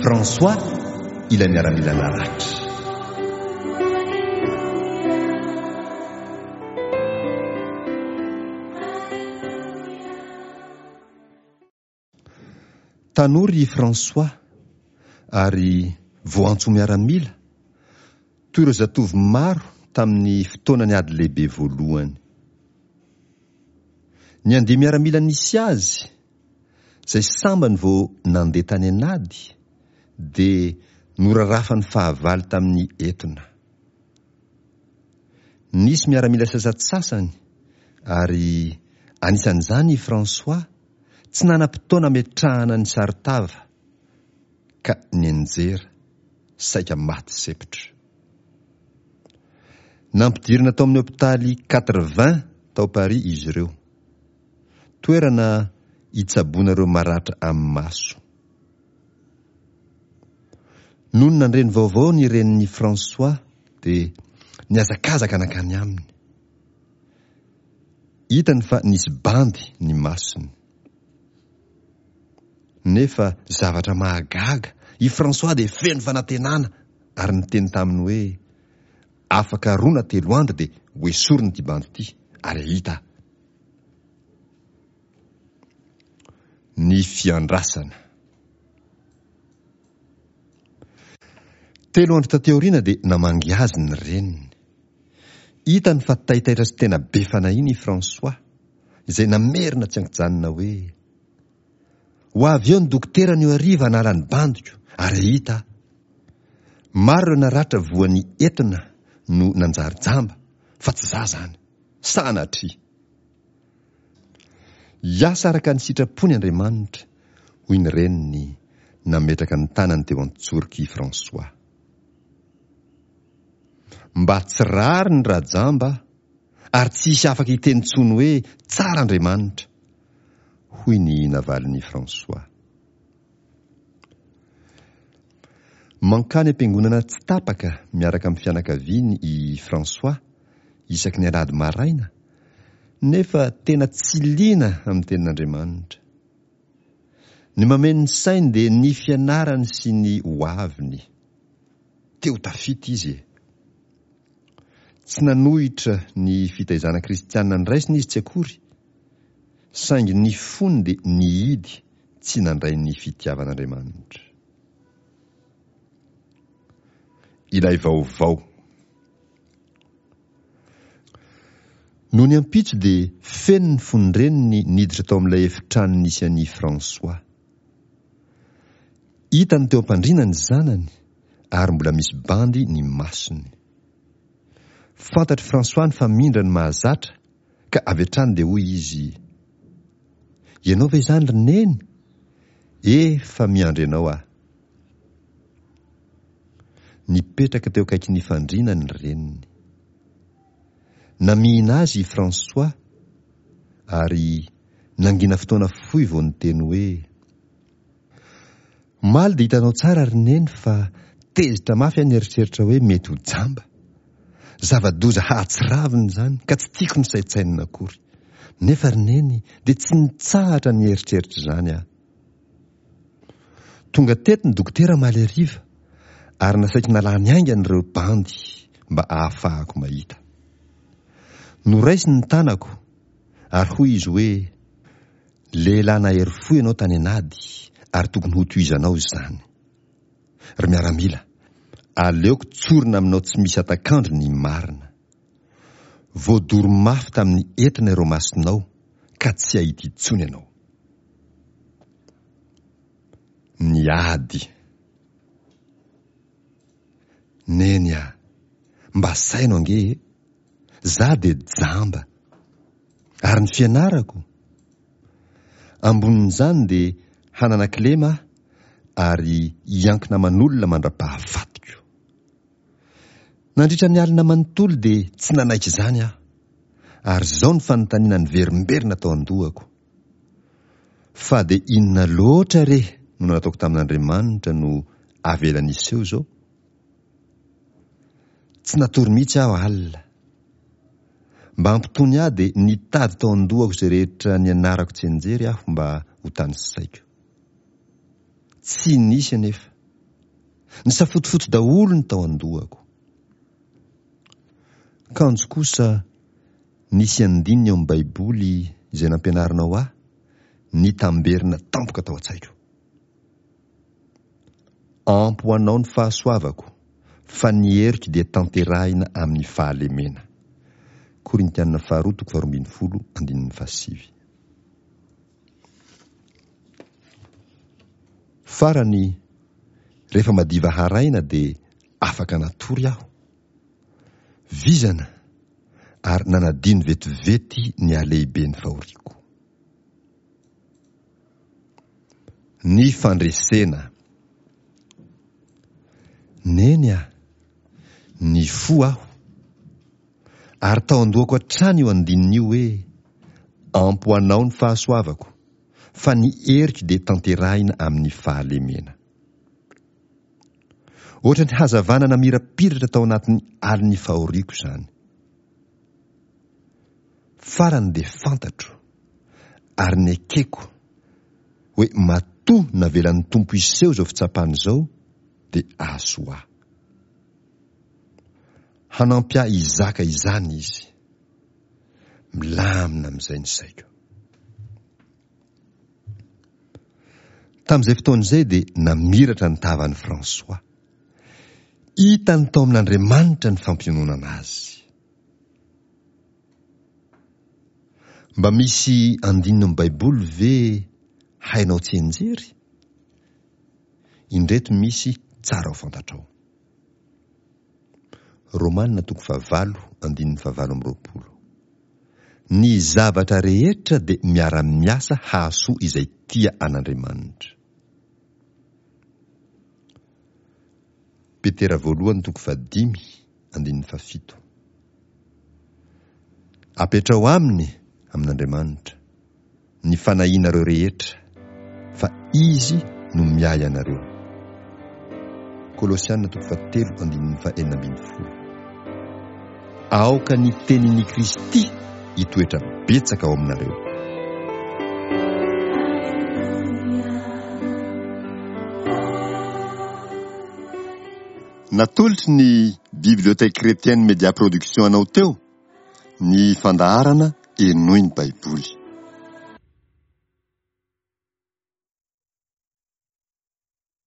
François, ilay miaramila naratra. Tanora i François ary voantso ho miaramila, toy ireo zatovo maro tamin'ny fotoanan'ny Ady Lehibe Voalohany. Ny andia-miaramila nisy azy, izay sambany vao nandeha tany an'ady, dia norarafan'ny fahavalo tamin'ny etona. Nisy miaramila sasantsasany, ary anisan'izany i François, tsy nanam-potoana hametrahana ny saron-tava ka nianjera, saika maty sepotra. Nampidirina tao amin'ny hopitaly Quatre Vents tao Paris izy ireo. Toerana itsaboana ireo maratra amin'ny maso. Nony nandre ny vaovao ny renin'i François dia nihazakazaka nankany aminy. Hitany fa nisy bandy ny masony. Nefa zavatra mahagaga, i François dia feno fanantenana ary niteny taminy hoe, Afaka roa na telo andro dia hoesorina ity bandy ity ary hahita aho. Ny fiandrasana. Telo andro taty aoriana dia namangy azy ny reniny. Hitany fa taitaitra sy tena be fanahiana i François, izay namerina tsy an-kijanona hoe, Ho avy eo ny dokotera anio hariva hanala ny bandiko, ary hahita aho. Maro ireo naratra voan'ny etona no nanjary jamba, fa tsy za zany. Sanatria! Hiasa araka ny sitrapony Andriamanitra, hoy ny reniny, nametraka ny tanany teo an-tsorok'i François. Mba tsy rariny raha jamba aho, ary tsy hisy afaka hiteny intsony hoe tsara Andriamanitra, hoy ny navalin'i François. Mankany am-piangonana tsy tapaka miaraka amin'ny fianakaviany i François isaky ny alahady maraina, nefa tena tsy liana amin'ny Tenin'Andriamanitra. Ny mameno ny sainy dia ny fianarany sy ny hoaviny. Te ho tafita izy e! Tsy nanohitra ny fitaizana kristiana noraisiny izy tsy akory, saingy ny fony dia nihidy tsy nandray ny fitiavan'Andriamanitra. Ilay vaovao. Nony ampitso dia feno ny fon-dreniny niditra tao amin'ilay efitrano nisy an'i François. Hitany teo am-pandriana ny zanany ary mbola misy bandy ny masony. Fantatr'i François ny famindrany mahazatra ka avy hatrany dia hoy izy, Ianao ve izany ry Neny? Efa miandry anao aho. Nipetraka teo akaikin'ny fandriana ny reniny. Namihina azy i François ary nangina fotoana fohy vao niteny hoe, Omaly dia hitanao tsara ry Neny fa tezitra mafy aho nieritreritra hoe mety ho jamba. Zava-doza hahatsiravina izany ka tsy tiako nosaintsainina akory. Nefa ry Neny dia tsy nitsahatra nieritreritra izany aho. Tonga teto ny dokotera omaly hariva ary nasaiko nalany haingana ireo bandy mba ahafahako mahita. Noraisiny ny tanako ary hoy izy hoe, Lehilahy nahery fo ianao tany an'ady ary tokony hotohizanao izany. Ry miaramila, aleoko tsorina aminao tsy misy hatak'andro ny marina. Voadoro mafy tamin'ny etona ireo masonao ka tsy hahita intsony ianao. Ny ady. Neny a! Mba saino ange e! Za dia jamba. Ary ny fianarako? Ambonin'izany dia hanana kilema aho ary hiankina aman'olona mandra-pahafatiko. Nandritra ny alina manontolo dia tsy nanaiky izany aho. Ary izao ny fanontaniana niverimberina tao an-dohako. Fa dia inona loatra re no nataoko tamin'Andriamanitra no avelany hiseho izao? Tsy natory mihitsy aho alina. Mba hampitony ahy dia nitady tao an-dohako izay rehetra nianarako tsianjery aho mba ho tanisaiko. Tsy nisy anefa. Nisafotofoto daholo ny tao an-dohako. Kanjo kosa nisy andininy ao amin'ny Baiboly izay nampianarinao ahy nitamberina tampoka tao an-tsaiko. Ampy ho anao ny fahasoavako, fa ny heriko dia tanterahina amin'ny fahalemena. Korintiana faharoa toko faharoa ambin'ny folo andininy fahasivy. Farany, rehefa madiva haraina dia afaka natory aho. Vizana ary nanadino vetivety ny halehiben'ny fahoriako. Ny fandresena. Neny a! Nifoha aho. Ary tao an-dohako hatrany io andininy io hoe, Ampy ho anao ny fahasoavako, fa ny heriko dia tanterahina amin'ny fahalemena. Ohatran'ny hazavana namirapiratra tao anatin'ny alin'ny fahoriako izany. Farany dia fantatro, ary nekeko, hoe matoa navelan'ny Tompo hiseho izao fitsapana izao dia ahasoa ahy. Hanampy ahy hizaka izany Izy. Milamina amin'izay ny saiko. Tamin'izay fotoana izay dia namiratra ny tavan'i François. Hitany tao amin'Andriamanitra ny fampiononana azy. Mba misy andininy amin'ny Baiboly ve hainao tsianjery? Indreto misy tsara ho fantatrao. Romana toko fahavalo andininy fahavalo amby roapolo. Ny zavatra rehetra dia miara-miasa hahasoa izay tia an'Andriamanitra. Petera voalohany toko fahadimy andininy fahafito. Apetraho aminy, amin'Andriamanitra, ny fanahianareo rehetra, fa Izy no miahy anareo. Kolosiana toko fahatelo andininy fahenina ambin'ny folo. Aoka ny tenin'i Kristy hitoetra betsaka ao aminareo. Natolotry ny Bibliothèque Chrétienne Media Production anao teo ny fandaharana Henoy ny Baiboly.